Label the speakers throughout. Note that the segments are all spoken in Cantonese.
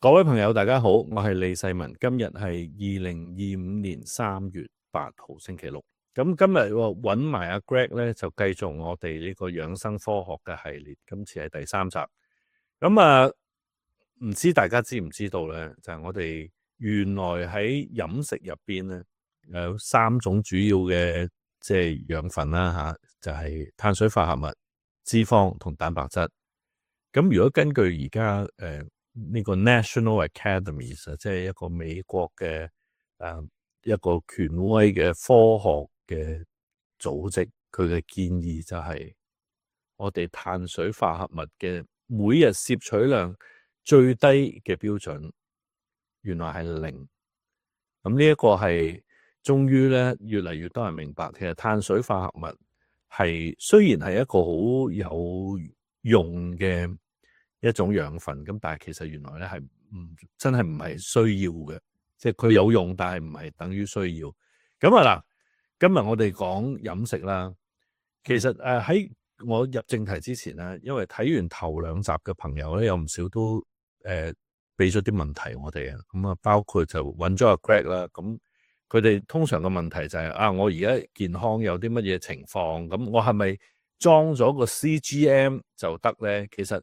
Speaker 1: 各位朋友，大家好，我係李世民。今日係2025年3月8號星期六。咁今日揾埋阿 Greg 咧，就繼續我哋呢個養生科學嘅系列。今次係第3集。唔知大家知唔知道咧？就係我哋原來喺飲食入邊咧，有3種主要嘅即係養分啦吓，就係碳水化合物、脂肪同蛋白質。咁如果根據而家呢個 National Academies 即係一個美國嘅一個權威嘅科學嘅組織，佢嘅建議就係我哋碳水化合物嘅每日攝取量最低嘅標準，原來係0。咁呢一個係終於咧越嚟越多人明白，其實碳水化合物係雖然係一個好有用嘅一種養分，咁但係其實原來咧係真係唔係需要嘅，即係佢有用，但係唔係等於需要。咁嗱，今日我哋講飲食啦。其實喺我入正題之前咧，因為睇完頭2集嘅朋友咧，有唔少都俾咗啲問題我哋啊。咁啊，包括就揾咗阿 Greg 啦。咁佢哋通常嘅問題就係我而家健康有啲乜嘢情況，咁我係咪裝咗個 CGM 就得咧？其實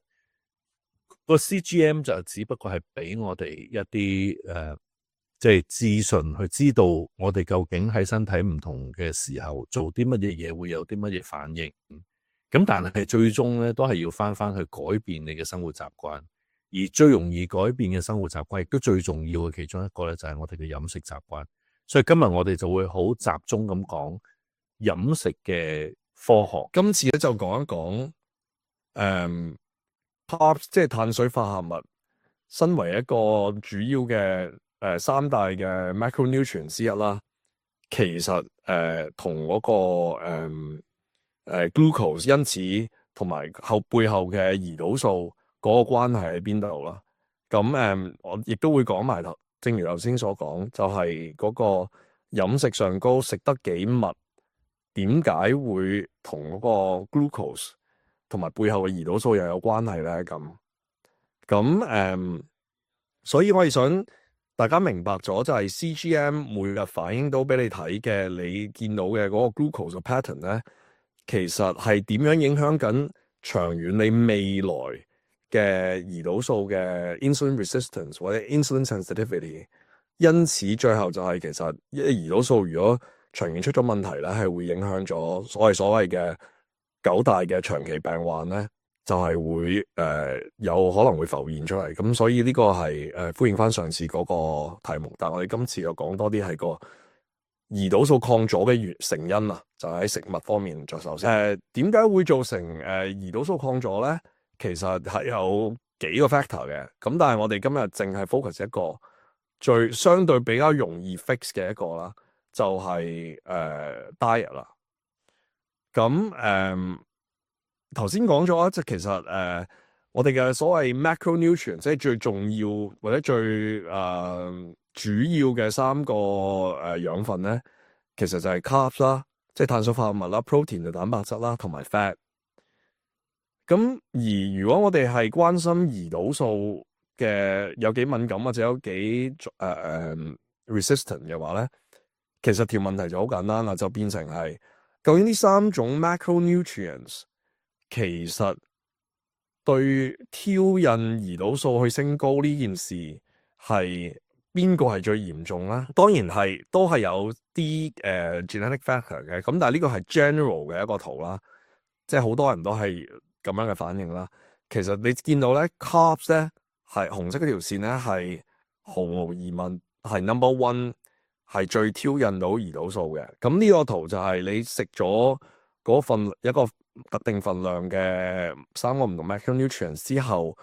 Speaker 1: 個 CGM 就只不過係俾我哋一啲即係資訊去知道我哋究竟喺身體唔同嘅時候做啲乜嘢嘢會有啲乜嘢反應。咁但係最終咧都係要翻去改變你嘅生活習慣，而最容易改變嘅生活習慣亦都最重要嘅其中一個咧就係我哋嘅飲食習慣。所以今日我哋就會好集中咁講飲食嘅科學。
Speaker 2: 今次咧就講一講carbs 即係碳水化合物，身為一個主要嘅3大嘅 macronutrient 之一啦，其實同嗰個glucose 因子同埋背後嘅胰島素嗰個關係喺邊度啦？咁我亦都會講埋頭，正如頭先所講，就係嗰個飲食上高食得幾密，點解會同嗰個 glucose 同埋背後嘅胰島素又有關係咧？咁所以我係想大家明白咗，就係 CGM 每日反映到俾你睇嘅，你見到嘅嗰個 glucose 嘅 pattern 咧，其實係點樣影響緊長遠你未來嘅胰島素嘅 insulin resistance 或者 insulin sensitivity。因此最後就係其實胰島素如果長遠出咗問題咧，係會影響咗所謂嘅9大嘅長期病患咧，就係會有可能會浮現出嚟。咁所以呢個係呼應翻上次嗰個題目，但係我哋今次又講多啲係個胰島素抗阻嘅成因啊，就喺食物方面着手先。點解會造成胰島素抗阻咧？其實係有幾個 factor 嘅，咁但係我哋今日淨係 focus 一個最相對比較容易 fix 嘅一個啦，就係diet 啦。咁頭先講咗，即係其實我哋嘅所謂 macronutrient， 即係最重要或者最主要嘅3個養分咧，其實就係 carbs 啦，即係碳水化合物啦 ，protein 就蛋白質啦，同埋 fat。咁而如果我哋係關心胰島素嘅有幾敏感或者有幾resistant 嘅話咧，其實條問題就好簡單啦，就變成係究竟呢3種 macronutrients 其實對挑引胰島素去升高呢件事係邊個係最嚴重啦？當然係都係有啲genetic factor 嘅，咁但係呢個係 general 嘅一個圖啦，即係好多人都係咁樣嘅反應啦。其實你見到咧 carbs 咧係紅色嗰條線咧係毫無疑問係 number one， 係最挑引到胰島素嘅。咁呢個圖就係你食咗嗰份一個特定份量嘅3個唔同 macronutrients 之後，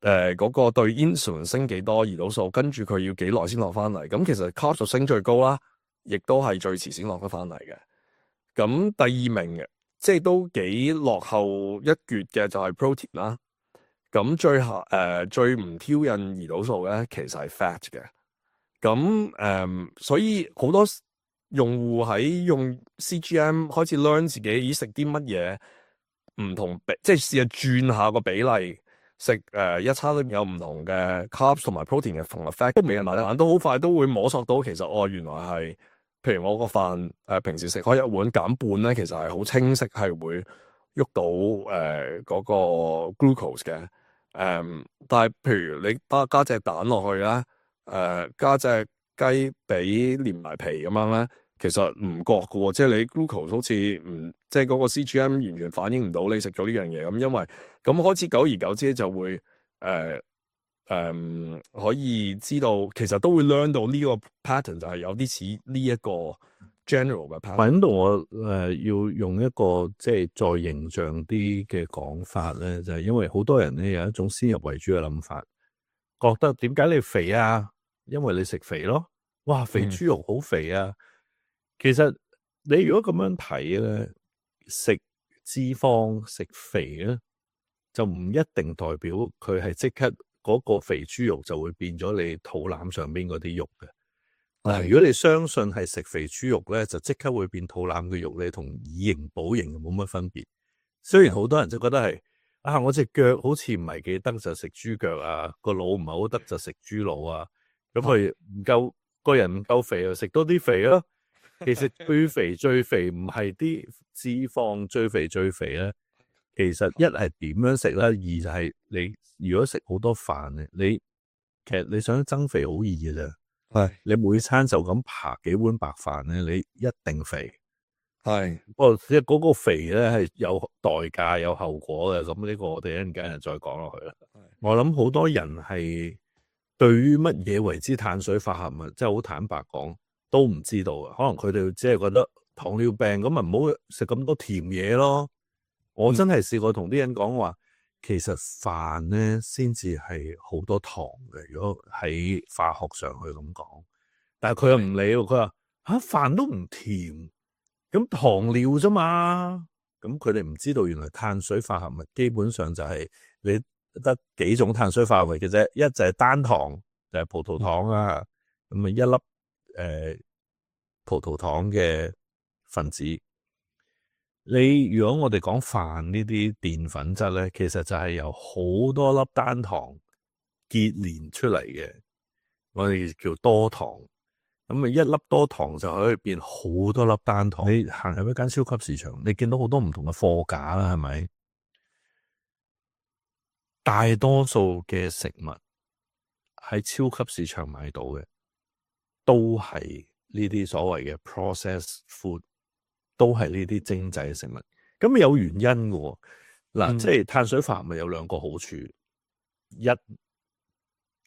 Speaker 2: 嗰個對 insulin 升幾多胰島素，跟住佢要幾耐先落翻嚟。咁其實 carbs 就升最高啦，亦都係最遲先落得翻嚟嘅。咁第2名嘅，即係都幾落後一橛嘅就係 protein 啦。咁最唔挑引胰島素咧，其實係 fat 嘅。咁所以好多用戶喺用 CGM 開始 learn 自己食啲乜嘢唔同即係試下轉下個比例，食一餐裏面有唔同嘅 carbs 同埋 protein 嘅同 effect，都每人慢慢都好快都會摸索到其實原來係，譬如我個飯平時食開一碗減半咧，其實係好清晰係會喐到嗰個 glucose 嘅。但係譬如你加隻蛋落去啦，加隻雞髀連埋皮咁樣咧，其實唔覺嘅喎，即係你 glucose 好似即係嗰個 CGM 完全反映唔到你食咗呢樣嘢咁，因為咁開始久而久之就會可以知道，其實都會 learn 到呢個 pattern 就係有啲似呢一個 general 嘅 pattern。
Speaker 1: 喺度我要用一個即係再形象啲嘅講法咧，就係因為好多人咧有一種先入為主嘅諗法，覺得點解你肥啊？因為你食肥咯，哇，肥豬肉好肥啊！其實你如果咁樣睇咧，食脂肪食肥咧，就唔一定代表佢係即刻嗰個肥豬肉就會變咗你肚腩上邊嗰啲肉嘅。嗱，如果你相信係食肥豬肉咧，就即刻會變肚腩嘅肉咧，同以形補形冇乜分別。雖然好多人就覺得係我隻腳好似唔係幾得就食豬腳啊，個腦唔係好得就食豬腦啊，咁佢唔夠個人唔夠肥就食多啲肥咯。其實最肥唔係啲脂肪，最肥咧，其實一係點樣食咧，二就係你如果食好多飯咧，其實你想增肥好易嘅啫。
Speaker 2: 係
Speaker 1: 你每餐就咁扒幾碗白飯咧，你一定肥。
Speaker 2: 係，
Speaker 1: 不過即係嗰個肥咧係有代價有後果嘅，咁呢個我哋一陣間再講落去啦。我諗好多人係對於乜嘢為之碳水化合物，即係好坦白講都唔知道嘅。可能佢哋只係覺得糖尿病咁咪唔好食咁多甜嘢咯。我真係試過同啲人講話，其實飯咧先至係好多糖嘅。如果喺化學上去咁講，但係佢又唔理喎，佢話飯都唔甜，咁糖尿啫嘛。咁佢哋唔知道原來碳水化合物基本上就係你得幾種碳水化合物嘅啫，一就係單糖，就係葡萄糖啊，咁啊一粒葡萄糖嘅分子。你如果我哋講飯呢啲澱粉質咧，其實就係由好多粒單糖結連出嚟嘅，我哋叫多糖。咁啊一粒多糖就可以變好多粒單糖。你行入一間超級市場，你見到好多唔同嘅貨架啦，係咪？大多數嘅食物喺超級市場買到嘅，都係呢啲所謂嘅 processed food。都係呢啲精製嘅食物，咁有原因嘅。嗱，即係碳水化合物有兩個好處，一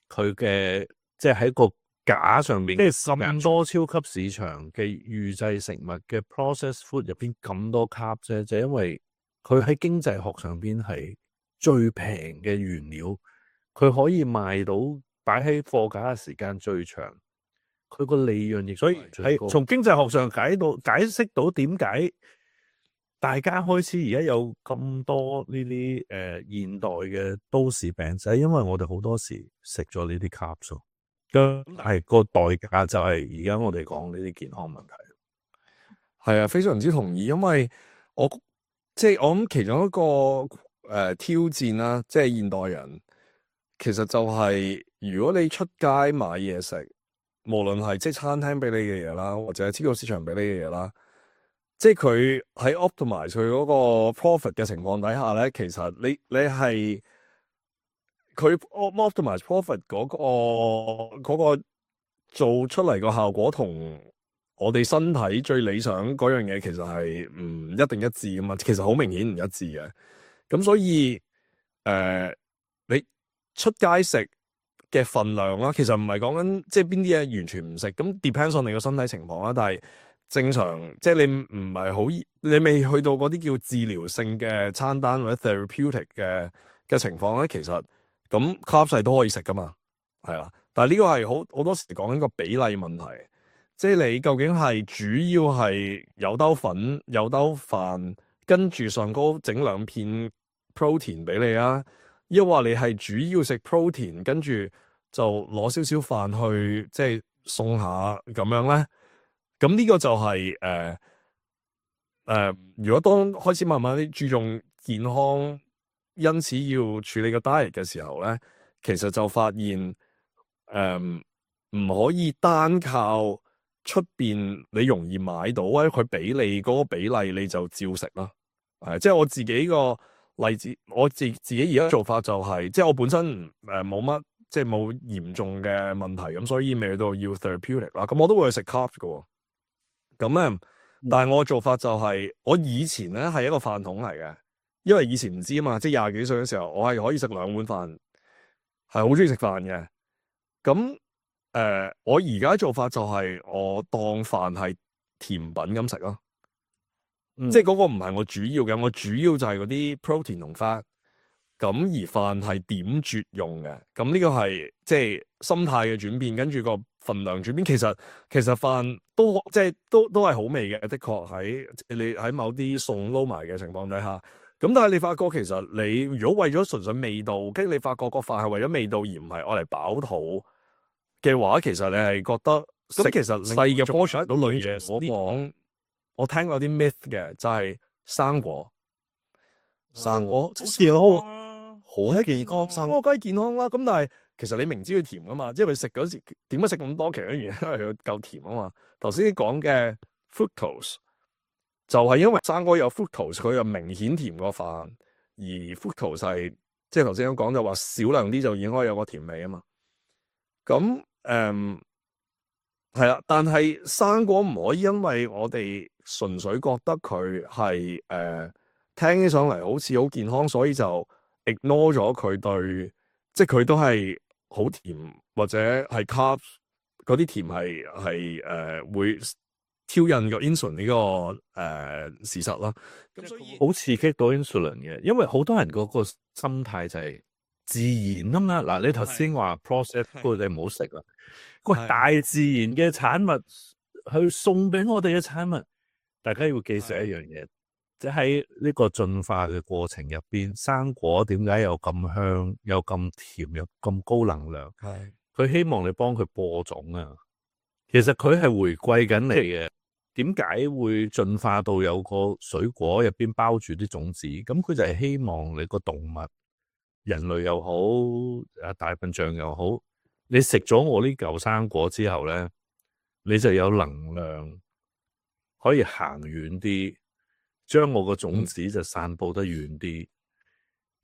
Speaker 1: 佢嘅即係喺個架上面，即係咁多超級市場嘅預製食物嘅 processed food 入邊咁多 carb 啫，就因為佢喺經濟學上邊係最平嘅原料，佢可以賣到擺喺貨架嘅時間最長。佢個利潤亦所以係從經濟學上解釋到點解大家開始而家有咁多呢啲現代嘅都市病，就係因為我哋好多時食咗呢啲 carbs，係個代價就係而家我哋講呢啲健康問題。
Speaker 2: 係啊，非常之同意，因為我諗其中一個挑戰啦，即係現代人其實就係如果你出街買嘢食。無論係即係餐廳俾你嘅嘢啦，或者係超級市場俾你嘅嘢啦，即係佢喺 optimize 佢嗰個 profit 嘅情況底下咧，其實你係佢 optimize profit 嗰個做出嚟個效果同我哋身體最理想嗰樣嘢，其實係唔一定一致噶嘛，其實好明顯唔一致嘅。咁所以你出街食嘅份量啦，其實唔係講緊即係邊啲嘢完全唔食，咁 depends on 你個身體情況啦。但係正常即係你唔係好，你未去到嗰啲叫治療性嘅餐單或者 therapeutic 嘅情況咧，其實咁 carbs 都可以食噶嘛，係啦。但係呢個係好多時講緊個比例問題，即係你究竟係主要係有兜粉有兜飯，跟住上高整兩片 protein 俾你啊，抑或你係主要食 protein 跟住就攞少少飯去即係送下咁樣咧，咁呢個就係如果當開始慢慢啲注重健康因此要處理個 diet 嘅時候咧，其實就發現唔可以單靠出邊你容易買到或者佢俾你嗰個比例你就照食啦。即係我自己個例子，我自己而家做法就係、即係我本身冇乜即係冇嚴重嘅問題，咁所以未去到要 therapeutic 啦。咁我都會去食 carbs 嘅。咁咧，但係我嘅做法就係、我以前咧係一個飯桶嚟嘅，因為以前唔知啊嘛，即係廿幾歲嘅時候，我係可以食2碗飯，係好中意食飯嘅。咁我而家做法就係我當飯係甜品咁食咯。即係嗰個唔係我主要嘅，我主要就係嗰啲 protein 同 fat，咁而飯係點綴用嘅，咁呢個係即係心態嘅轉變，跟住個份量轉變。其實飯都即係都係好味嘅，的確喺你喺某啲餸撈埋嘅情況底下，咁但係你發覺其實你如果為咗純粹味道，跟住你發覺個飯係為咗味道而唔係愛嚟飽肚嘅話，其實你係覺得咁其實細嘅 portion 到類嘢我聽過啲 myth 嘅，就係生果
Speaker 1: 好
Speaker 2: 健康，好健康，生果梗係健康啦。咁但係其實你明知佢甜噶嘛，即係佢食嗰時點解食咁多？其實原因係佢夠甜啊嘛。頭先講嘅 fructose 就係因為生果有 fructose，佢又明顯甜過飯，而 fructose 係即係頭先講就話少量啲就已經可以有個甜味啊嘛。咁係啦，但係生果唔可以因為我哋純粹覺得佢係聽起上嚟好似好健康，所以就 ignore 咗佢對，即係佢都係好甜或者係 carbs 嗰啲甜係會挑釁個 insulin 呢個事實啦。咁所以
Speaker 1: 好刺激到 insulin 嘅，因為好多人嗰個心態就係自然啊嘛。嗱，你頭先話 processed food 你唔好食啦。個大自然嘅產物去送俾我哋嘅產物，大家要記住一樣嘢，即係喺呢個進化嘅過程入邊，生果點解有咁香、有咁甜、有咁高能量？係佢希望你幫佢播種啊。其實佢係回歸緊你嘅。點解會進化到有個水果入邊包住啲種子？咁佢就係希望你個動物，人類又好，大笨象又好。你食咗我呢嚿生果之後咧，你就有能量可以行遠啲，將我個種子就散布得遠啲。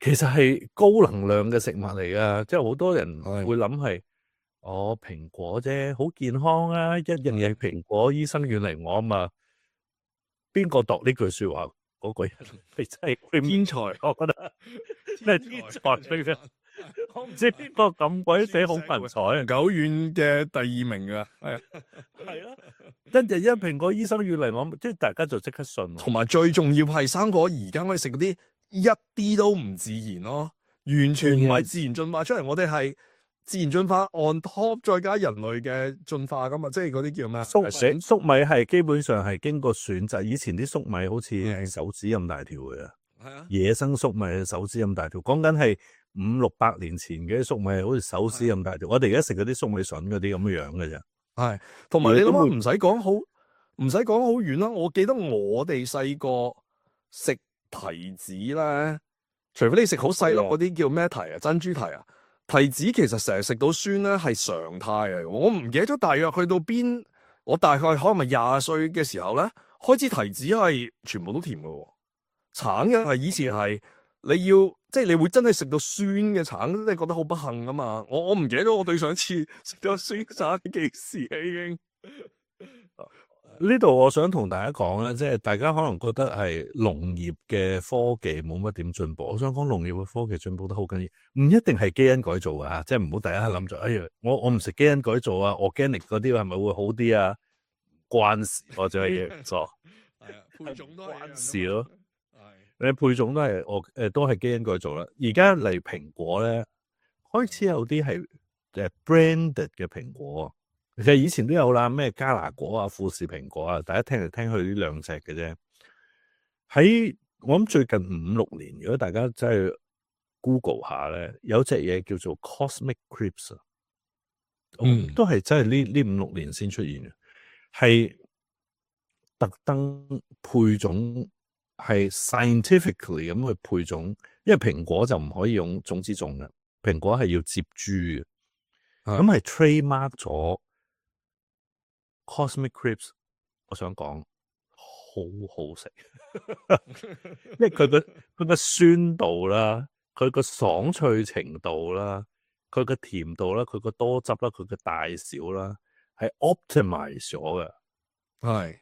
Speaker 1: 其實係高能量嘅食物嚟噶，即係好多人會諗係，蘋果啫，好健康啊，一樣嘢蘋果，醫生遠離我啊嘛。邊個讀呢句說話嗰個人係真係天才，我覺得咩天才嚟嘅。我唔知邊個咁鬼死好文采，
Speaker 2: 久遠嘅第2名噶，
Speaker 1: 係啊，跟住一蘋果醫生遠離我，即係大家就即刻信。
Speaker 2: 同埋最重要係生果而家可以食嗰啲一啲都唔自然咯，完全唔係自然進化出嚟，我哋係自然進化 on top 再加人類嘅進化噶嘛，即係嗰啲叫咩？
Speaker 1: 粟米係基本上係經過選擇，以前啲粟米好似手指咁大條嘅，係啊，野生粟米手指咁大條，講緊係500-600年前嘅粟米好似手指咁大條，我哋而家食嗰啲粟米筍嗰啲咁嘅樣嘅啫。係，
Speaker 2: 同埋你諗下，唔使講好遠啦。我記得我哋細個食提子咧，除非你食好細粒嗰啲叫咩提啊，珍珠提啊，提子其實成日食到酸咧係常態嚟。我唔記得咗大約去到邊，我大概可能咪20歲嘅時候咧，開始提子係全部都甜嘅，橙嘅係以前係你要即係你會真係食到酸嘅橙，你覺得好不幸啊嘛。我唔記得咗我對上一次食咗酸橙幾時啊已經。
Speaker 1: 呢度我想同大家講咧，即係大家可能覺得係農業嘅科技冇乜點進步。我想講農業嘅科技進步得好緊要，唔一定係基因改造啊，即係唔好大家諗住，哎呀，我唔食基因改造啊，organic 嗰啲係咪會好啲啊？關事，我就係嘢錯，
Speaker 2: 係啊，配種都係
Speaker 1: 關事咯。你配種都係都係基因改造啦。而家嚟蘋果咧，開始有啲係branded 嘅蘋果。其實以前都有啦，咩加拿果啊、富士蘋果啊，大家聽嚟聽去呢2隻嘅啫。喺我諗最近5-6年，如果大家真係 Google 下咧，有隻嘢叫做 Cosmic Crisp 啊，都係真係呢5-6年先出現嘅，係特登配種係 scientifically 咁去配種，因為蘋果就唔可以用種子種嘅，蘋果係要接株嘅，咁係 trademark 咗 Cosmic Crisp。我想講好好食，因為佢個酸度啦，佢個爽脆程度啦，佢個甜度啦，佢個多汁啦，佢個大小啦，係 optimize 咗嘅。
Speaker 2: 係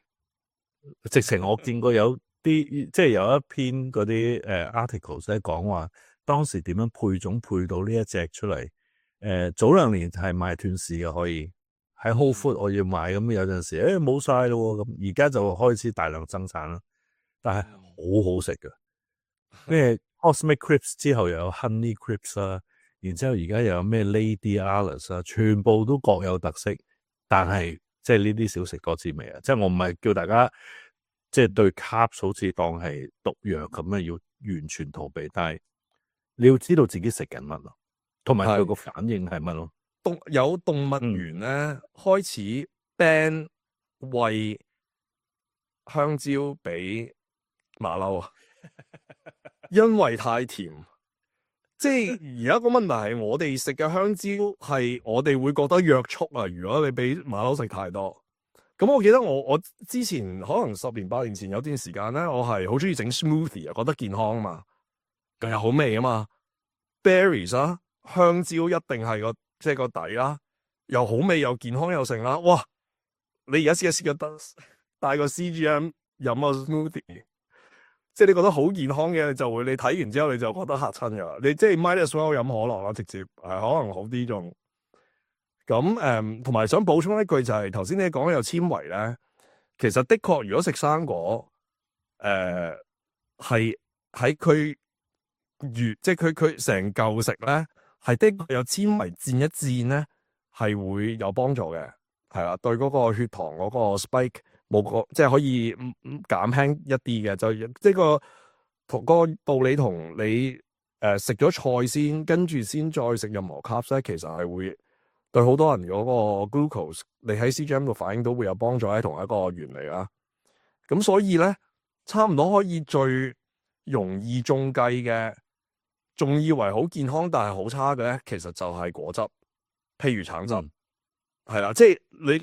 Speaker 1: 直情我見過有啲即係有一篇嗰啲articles 咧講話當時點樣配種配到呢一隻出嚟。早2年係賣斷市嘅，可以喺 Whole Food 我要買，咁有陣時冇晒咯，咁而家就開始大量生產啦。但係好好食嘅，咩 Cosmic Crisp 之後又有 Honey Crisp 啦，然之後而家又有咩 Lady Alice 啦，全部都各有特色，但係即係呢啲少食多滋味啊！即係我唔係叫大家即係對 carbs 好似當係毒藥咁樣要完全逃避，但係你要知道自己食緊乜咯，同埋佢個反應係乜咯。
Speaker 2: 有動物園咧開始 ban 餵香蕉俾馬騮啊，因為太甜。即係而家個問題係我哋食嘅香蕉係我哋會覺得約束啊。如果你俾馬騮食太多，咁我記得我之前可能10年8年前有段時間咧，我係好中意整 smoothie 啊，覺得健康啊嘛，更有好味啊嘛。berries 啊，香蕉一定係即係個底啦，又好味又健康又成啦。哇！你而家試個帶個 CGM 飲個 smoothie。即係你覺得好健康嘅，就會你睇完之後你就覺得嚇親㗎啦。你即係 might as well 飲可樂啦，直接可能好啲仲。咁同埋想補充一句就係頭先你講有纖維咧，其實的確如果食生果，係喺佢即係佢成嚿食咧，係的確有纖維墊一墊咧，係會有幫助嘅，係啦，對嗰個血糖嗰個 spike。冇即係可以減輕一啲嘅，就即係個道理同你食咗菜先，跟住先再食任何 carbs 咧，其實係會對好多人嗰個 glucose，你喺 CGM 度反應都會有幫助，喺同一個原理啦。咁所以咧，差唔多可以最容易中計嘅，仲以為好健康但係好差嘅咧，其實就係果汁，譬如橙汁，係啦，即係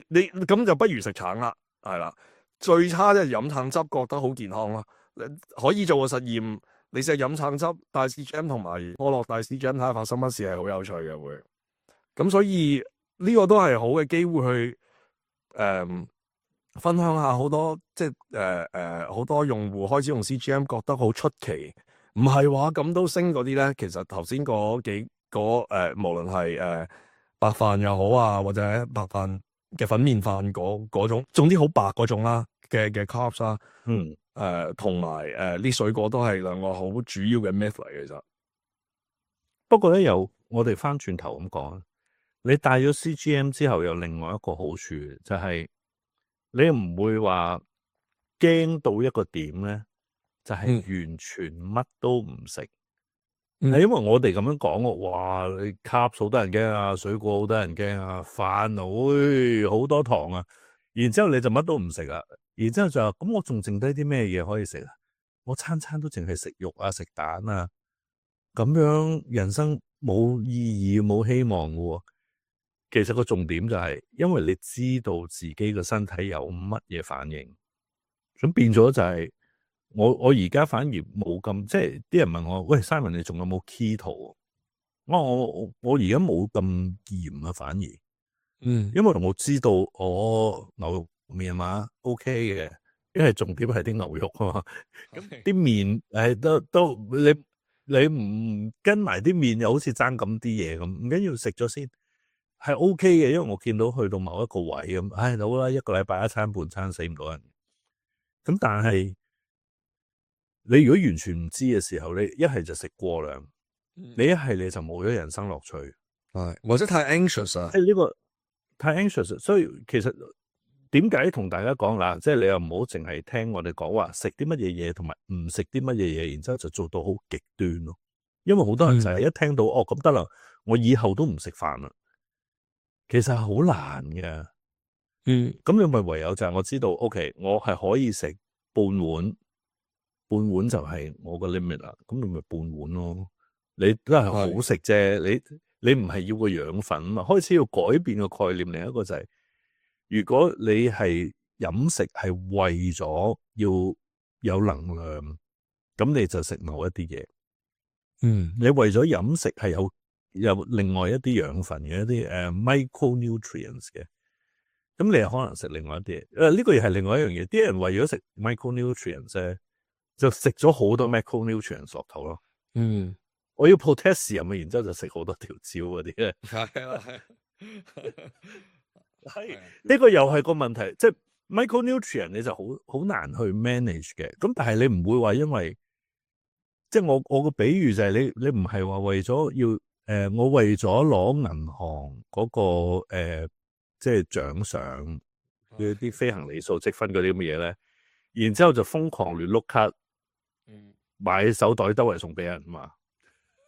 Speaker 2: 你咁就不如食橙啦。係啦，最差即係飲橙汁，覺得好健康啦。可以做個實驗，你試下飲橙汁帶 CGM 同埋可樂帶 CGM 睇下發生乜事，係好有趣嘅會。咁所以呢個都係好嘅機會去分享下好多即係好多用戶開始用 CGM 覺得好出奇，唔係話咁都升嗰啲咧。其實頭先嗰幾無論係白飯又好啊，或者白飯嘅粉麵飯嗰種，總之好白嗰種啦嘅 carbs 啦，同埋啲水果都係兩個好主要嘅 myth 嚟。其實
Speaker 1: 不過咧，我哋翻轉頭咁講，你帶咗 CGM 之後，有另外一個好處就係你唔會話驚到一個點咧，就係完全乜都唔食。係因為我哋咁樣講，哇！你 carbs 好多人驚啊，水果好多人驚啊，飯好多糖啊，然之後你就乜都唔食啊，然之後就咁我仲剩低啲咩嘢可以食啊？我餐餐都淨係食肉啊，食蛋啊，咁樣人生冇意義冇希望嘅。其實個重點就係，因為你知道自己個身體有乜嘢反應，咁變咗就係。我而家反而冇咁，即係啲人問我，喂 Simon 你仲有冇 keto？我而家冇咁嚴啊，反而，因為我知道我牛肉麵嘛 OK 嘅，因為重點係啲牛肉啊嘛，咁啲麵都你唔跟埋啲麵又好似爭咁啲嘢咁，唔緊要食咗先係 OK 嘅，因為我見到去到某一個位咁，好啦，一個禮拜一餐半餐死唔到人，咁但係。你如果完全唔知嘅時候，你一係就食過量，你一係你就冇咗人生樂趣，
Speaker 2: 或者太 anxious 啊，
Speaker 1: 呢個太 anxious， 所以其實點解同大家講啦，即係你又唔好淨係聽我哋講話食啲乜嘢嘢，同埋唔食啲乜嘢嘢，然之後就做到好極端咯。因為好多人就係一聽到咁得啦，我以後都唔食飯啦，其實係好難嘅。咁你咪唯有就係我知道，OK，我係可以食半碗。半碗就係我個 limit 啦，咁你咪半碗咯。你都係好食啫，你唔係要個養分啊嘛。開始要改變個概念，另一個就係，如果你係飲食係為咗要有能量，咁你就食某一啲嘢。你為咗飲食係有另外一啲養分嘅一啲micronutrients 嘅，咁你又可能食另外一啲嘢。呢個又係另外一樣嘢。啲人為咗食 micronutrients 咧，就食咗好多 macronutrients 落肚咯。我要 potassium 啊，然之後就食好多條蕉嗰啲咧。係呢個又係個問題，即係 micronutrient 你就好難去 manage 嘅。咁但係你唔會話因為，即係我個比喻就係你唔係話為咗要我為咗攞銀行嗰個即係獎賞嘅啲飛行里數積分嗰啲咁嘅嘢咧，然之後就瘋狂亂碌卡，買手袋周圍送俾人嘛。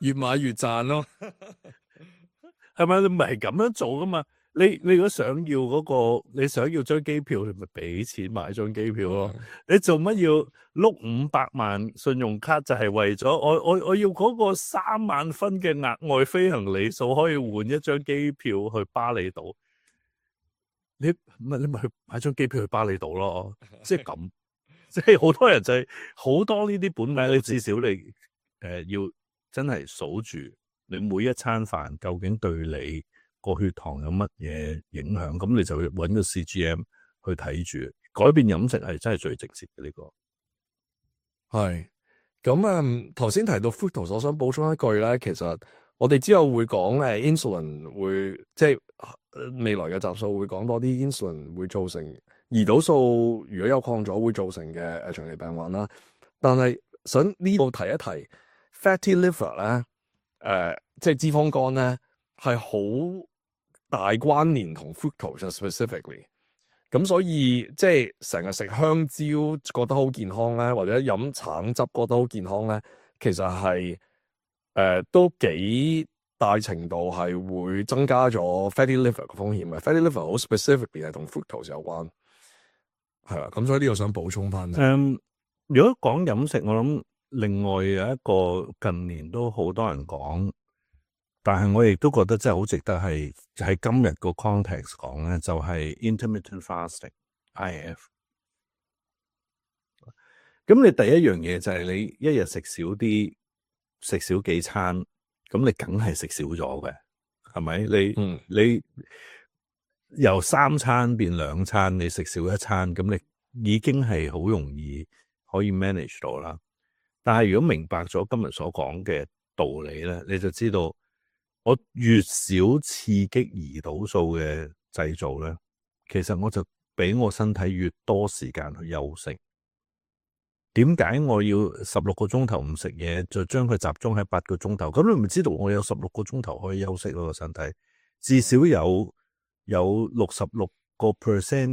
Speaker 2: 越買越賺咯，
Speaker 1: 係咪？你唔係咁樣做噶嘛？你如果想要你想要張機票，你咪俾錢買張機票咯。你做乜要碌500萬信用卡？就係為咗我要嗰個3萬分嘅額外飛行里數，可以換一張機票去巴厘島。你咪去買張機票去巴厘島咯。即係咁，即係好多人就係好多呢啲本命，你至少你要真係數住你每一餐飯究竟對你個血糖有乜嘢影響，咁你就要揾個 CGM 去睇住。改變飲食係真係最直接嘅呢個。
Speaker 2: 係咁頭先提到 fructose，我想補充一句咧，其實我哋之後會講insulin 會即係未來嘅集數會講多啲 insulin 會造成胰島素如果有抗阻會造成嘅長期病患啦。但係想呢度提一提 fatty liver 咧，即係脂肪肝咧係好大關聯同 fructose specifically。咁所以即係成日食香蕉覺得好健康咧，或者飲橙汁覺得好健康咧，其實係都幾大程度係會增加咗 fatty liver 嘅風險嘅。fatty liver 好 specifically 係同 fructose 有關，係啦。咁所以呢個想補充翻。
Speaker 1: 如果講飲食，我諗另外有一個近年都好多人講，但係我亦都覺得真係好值得係喺今日個 context 講咧，就係 intermittent fasting（IF）。咁你第一樣嘢就係你一日食少啲，食少幾餐，咁你梗係食少咗嘅，係咪？你由3餐變2餐，你食少一餐，咁你已經係好容易可以 manage 到啦。但係如果明白咗今日所講嘅道理咧，你就知道我越少刺激胰島素嘅製造咧，其實我就俾我身體越多時間去休息。點解我要16個鐘頭唔食嘢，就將佢集中喺8個鐘頭？咁你咪知道我有16個鐘頭可以休息咯，個身體至少有66%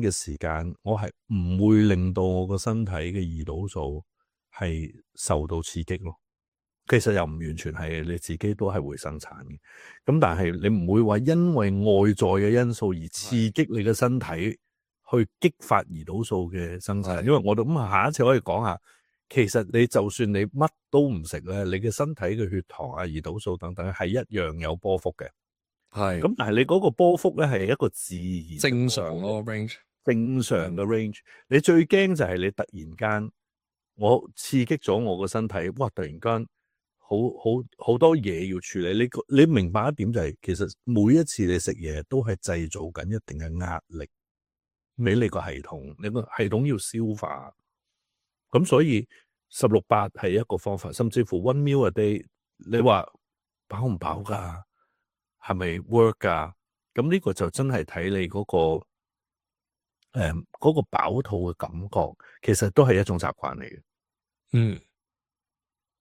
Speaker 1: 嘅時間，我係唔會令到我個身體嘅胰島素係受到刺激咯。其實又唔完全係，你自己都係會生產嘅。咁但係你唔會話因為外在嘅因素而刺激你嘅身體去激發胰島素嘅生產。因為我哋咁下一次可以講下，其實你就算你乜都唔食咧，你嘅身體嘅血糖啊、胰島素等等係一樣有波幅嘅。係咁，但係你嗰個波幅咧係一個自然
Speaker 2: 正常咯 range，
Speaker 1: 正常嘅 range。你最驚就係你突然間我刺激咗我個身體，哇！突然間好多嘢要處理。你明白一點就係，其實每一次你食嘢都係製造緊一定嘅壓力俾你個系統，你個系統要消化。咁所以16-8係一個方法，甚至乎 one meal a day， 你話飽唔飽㗎？係咪 work 㗎？咁呢個就真係睇你嗰個飽肚嘅感覺，其實都係一種習慣嚟嘅。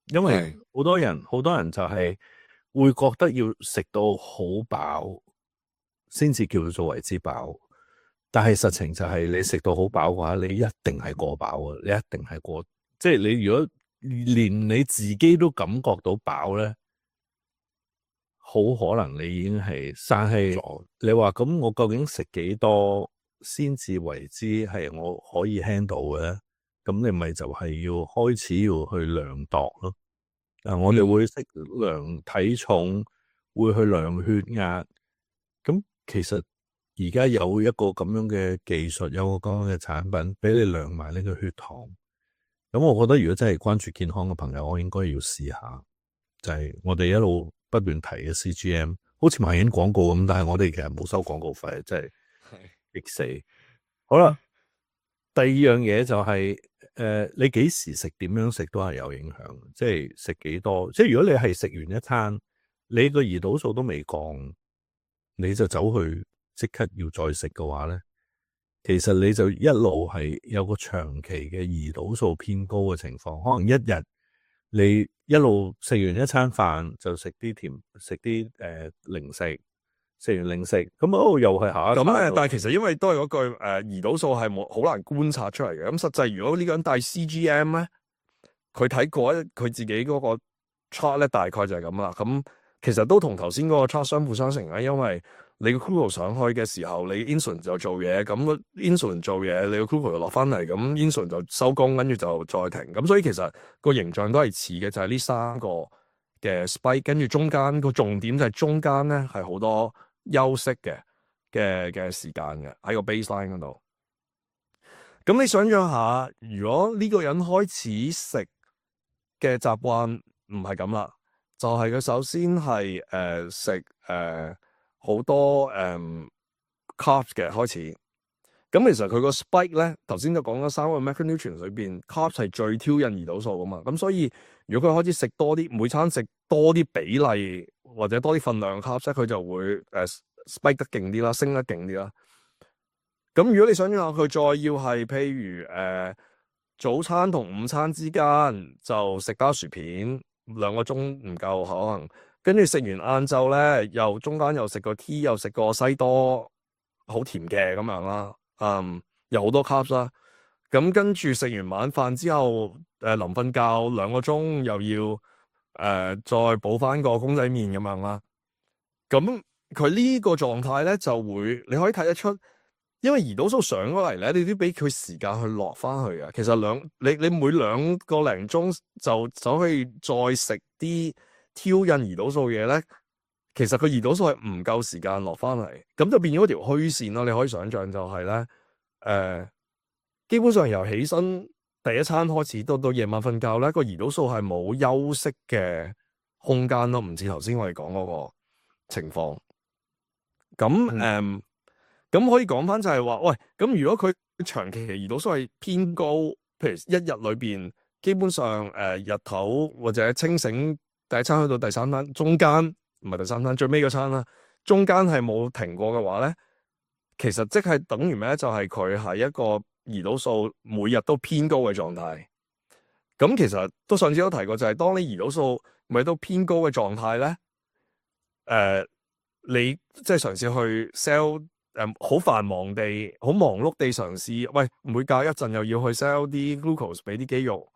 Speaker 1: 因為好多人就係會覺得要食到好飽先至叫做為之飽，但係實情就係你食到好飽嘅話，你一定係過飽啊！你一定係過，即係你如果連你自己都感覺到飽咧，好可能你已經係生氣咗。你話咁，我究竟食幾多先至為之係我可以 handle 嘅咧？咁你咪就係要開始要去量度咯。我哋會識量體重，會去量血壓。咁其實而家有一個咁樣嘅技術，有個咁樣嘅產品俾你量埋呢個血糖。咁我覺得如果真係關注健康嘅朋友，我應該要試下，就係我哋一路不斷提嘅 CGM， 好似賣緊廣告咁，但係我哋其實冇收廣告費，真係激死。好啦，第二樣嘢就係你幾時食，點樣食都係有影響，即係食幾多。即係如果你係食完一餐，你個胰島素都未降，你就走去即刻要再食嘅話咧，其實你就一路係有個長期嘅胰島素偏高嘅情況。可能一日你一路食完一餐飯就食啲甜，食啲零食，食完零食咁又係下一餐。
Speaker 2: 但係其實因為都係嗰句胰島素係冇好難觀察出嚟嘅。咁實際如果呢個人帶 CGM 咧，佢睇過佢自己嗰個 chart 咧，大概就係咁啦。咁其實都同頭先嗰個 chart 相輔相成啦，因為你個 glucose 上去嘅時候，你 insulin 就做嘢，咁 insulin 做嘢，你個 glucose 就落翻嚟，咁 insulin 就收工，跟住就再停。咁所以其實個形象都係似嘅，就係呢三個嘅 spike，跟住中間個重點就係中間咧係好多休息嘅時間嘅喺個 baseline 嗰度。咁你想象下，如果呢個人開始食嘅習慣唔係咁啦，就係佢首先係食好多carbs 嘅開始。咁其實佢個 spike 咧，頭先就講咗三個 macronutrients 裏邊 carbs 係最挑釁胰島素噶嘛。咁所以如果佢開始食多啲，每餐食多啲比例或者多啲份量 carbs 咧，佢就會spike 得勁啲啦，升得勁啲啦。咁如果你想象下佢再要係譬如早餐同午餐之間就食包薯片2個鐘唔夠可能，跟住食完晏晝咧又中間又食個 tea 又食個西多好甜嘅咁樣啦，有好多 carbs 啦。咁跟住食完晚飯之後臨瞓覺2個鐘又要再補翻個公仔麵咁樣啦。咁佢呢個狀態咧就會你可以睇得出。因為胰島素上咗嚟咧，你都俾佢時間去落翻去啊。其實你每2個零鐘就走去再食啲挑釁胰島素嘢咧，其實個胰島素係唔夠時間落翻嚟，咁就變咗條虛線咯。你可以想象就係咧，基本上由起身第一餐開始到夜晚瞓覺咧，個胰島素係冇休息嘅空間咯，唔似頭先我哋講嗰個情況。咁咁可以講翻就係話，喂，咁如果佢長期胰島素係偏高，譬如一日裏邊基本上日頭或者清醒第一餐去到第三餐，中間唔係第三餐最尾嗰餐啦，中間係冇停過嘅話咧，其實即係等於咩？就係佢係一個胰島素每日都偏高嘅狀態。咁其實都上次都提過，就係當你胰島素每日都偏高嘅狀態咧，你即係嘗試去 sell。好繁忙地，好忙碌地嘗試，喂，每隔一陣又要去 sell 啲 glucose 俾啲肌肉，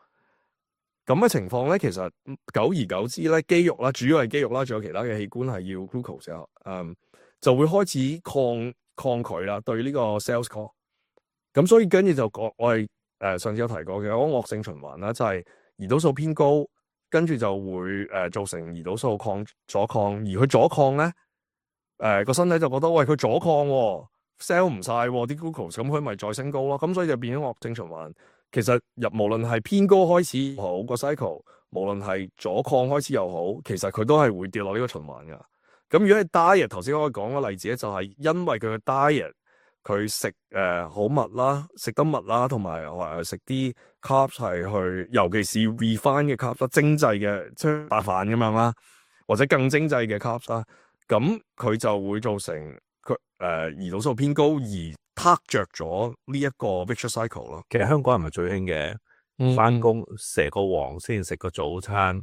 Speaker 2: 咁嘅情況咧，其實久而久之咧，肌肉啦，主要係肌肉啦，仲有其他嘅器官係要 glucose 就會開始抗拒啦，對呢個 sales call。咁所以跟住就講，我哋上次有提過嘅嗰個惡性循環啦，就係胰島素偏高，跟住就會造成胰島素阻抗，而佢阻抗咧。個身體就覺得喂，佢阻抗，sell 唔晒啲 glucose，咁佢咪再升高咯，咁所以就變咗惡性循環。其實無論係偏高開始好個 cycle，無論係阻抗開始又好，其實佢都係會跌落呢個循環噶。咁如果係 diet，頭先我講個例子咧，就係因為佢嘅 diet，佢食好密啦，食得密啦，同埋食啲 carbs 係去，尤其是 refine 嘅 carbs，精製嘅即係白飯咁樣啦，或者更精製嘅 carbs 啦。咁佢就會造成佢胰島素偏高而撻着咗呢一個 vicious cycle 咯。
Speaker 1: 其實香港人咪最興嘅，翻工蛇個王先食個早餐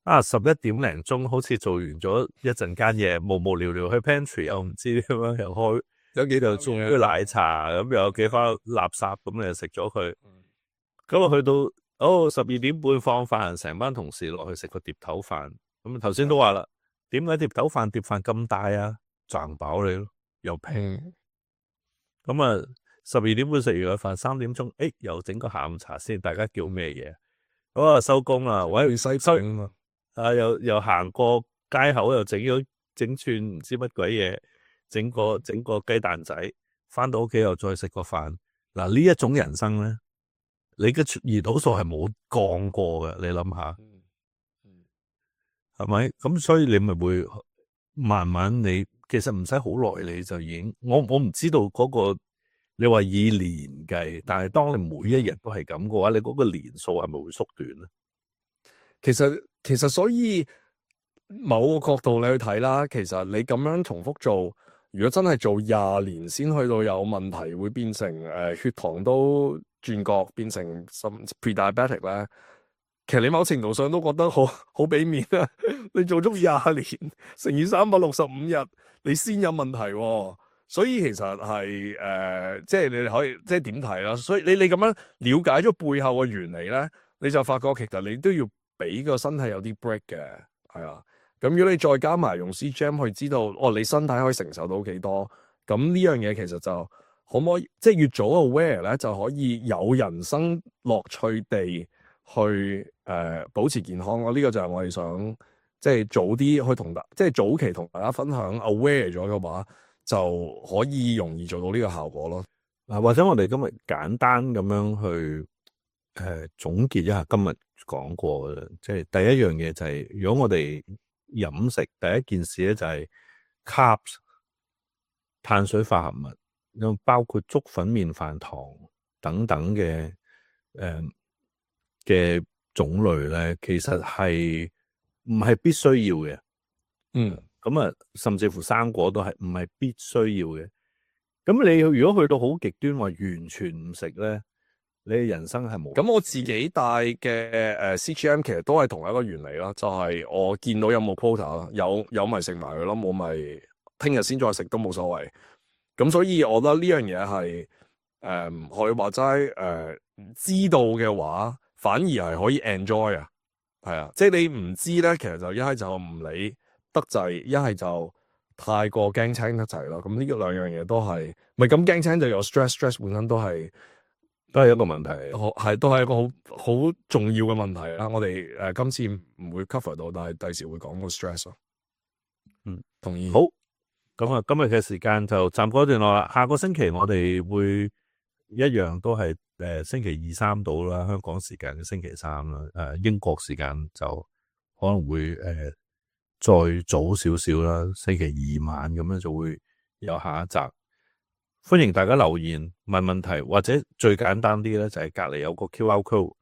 Speaker 1: ，11點零鐘好似做完咗一陣間嘢，無無聊聊去 pantry 又唔知點樣又開有幾度送啲奶茶，咁又有幾包垃圾咁你就食咗佢。咁啊去到12點半放飯，成班同事落去食個碟頭飯。咁頭先都話啦。點解碟頭飯碟飯咁大啊？賺飽你咯，又平。咁12點半食完個飯，3點鐘，又整個下午茶先，大家叫咩嘢？好啊，收工啦，喂，
Speaker 2: 西餅啊嘛，
Speaker 1: 又行過街口，又整串唔知乜鬼嘢，整個雞蛋仔，翻到屋企又再食個飯。嗱，呢一種人生咧，你嘅胰島素係冇降過嘅，你諗下，係咪？咁所以你咪會慢慢你其實唔使好耐，你就已經我唔知道嗰個你話以年計，但係當你每一日都係咁嘅話，你嗰個年數係咪會縮短咧？
Speaker 2: 其實所以某個角度你去睇啦，其實你咁樣重複做，如果真係做20年先去到有問題，會變成血糖都轉角，變成甚至 pre-diabetic 咧。其實你某程度上都覺得好俾面啊！你做足20年乘以365日，你先有問題喎。所以其實係即係你可以即係點睇啦？所以你咁樣了解咗背後嘅原理咧，你就發覺其實你都要俾個身體有啲 break 嘅，係啊。咁如果你再加埋用 CGM 去知道，你身體可以承受到幾多，咁呢樣嘢其實就可唔可以即係越早 aware 咧，就可以有人生樂趣地去保持健康咯。呢個就係我哋想即係早啲去同即係早期同大家分享 aware 咗嘅話，就可以容易做到呢個效果咯。
Speaker 1: 或者我哋今日簡單咁樣去總結一下今日講過嘅，即係第一樣嘢就係，如果我哋飲食第一件事咧就係 carbs 碳水化合物，咁包括粥粉麵飯糖等等嘅嘅種類咧，其實係唔係必須要嘅。咁啊，甚至乎生果都係唔係必須要嘅。咁你如果去到好極端話完全唔食咧，你嘅人生係冇。
Speaker 2: 咁我自己帶嘅CGM 其實都係同一個原理啦，就係我見到有冇 quota 啦，有咪食埋佢咯，冇咪聽日先再食都冇所謂。咁所以我覺得呢樣嘢係可以話齋知道嘅話，反而係可以 enjoy 啊，係啊，即係你唔知咧，其實就一係就唔理得滯，一係就太過驚青得滯咯。咁呢兩樣嘢都係，咪咁驚青就有 stress 本身都係
Speaker 1: 一個問題，
Speaker 2: 都係一個好重要嘅問題啦。我哋今次唔會 cover 到，但係第時會講個 stress 咯。同意。
Speaker 1: 好，咁啊，今日嘅時間就暫告一段落啦。下個星期我哋會一樣都係星期2、3到啦，香港時間嘅星期3啦。英國時間就可能會再早少少啦，星期2晚咁樣就會有下一集。歡迎大家留言問問題，或者最簡單啲咧就係隔籬有個 QR code，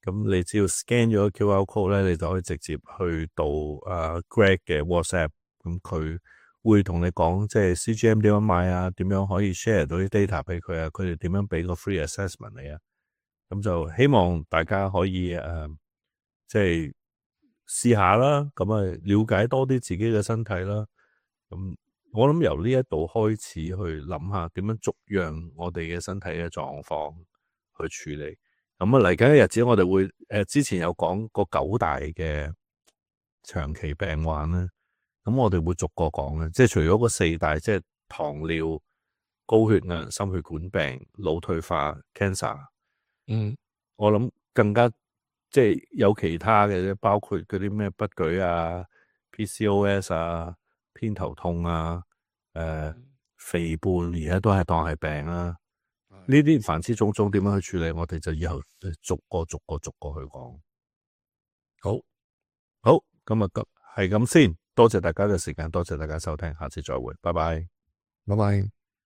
Speaker 1: 咁你只要 scan 咗個 QR code 咧，你就可以直接去到Greg 嘅 WhatsApp， 咁佢會同你講即係 CGM 點樣買啊，點樣可以 share 到啲 data 俾佢啊，佢哋點樣俾個 free assessment 你啊，咁就希望大家可以即係試下啦，咁啊了解多啲自己嘅身體啦，咁。我諗由呢一度開始去諗下點樣逐樣我哋嘅身體嘅狀況去處理。咁啊嚟緊嘅日子我哋會之前有講過9大嘅長期病患咧，咁我哋會逐個講嘅，即係除咗嗰4大，即係糖尿、高血壓、心血管病、腦退化、cancer。我諗更加即係有其他嘅，包括嗰啲咩不舉啊、PCOS 啊。偏頭痛啊，肥胖而家都係當係病啊，呢啲凡之種種點樣去處理，我哋就以後逐個去講。好，今日係咁先，多謝大家嘅時間，多謝大家收聽，下次再會，拜拜。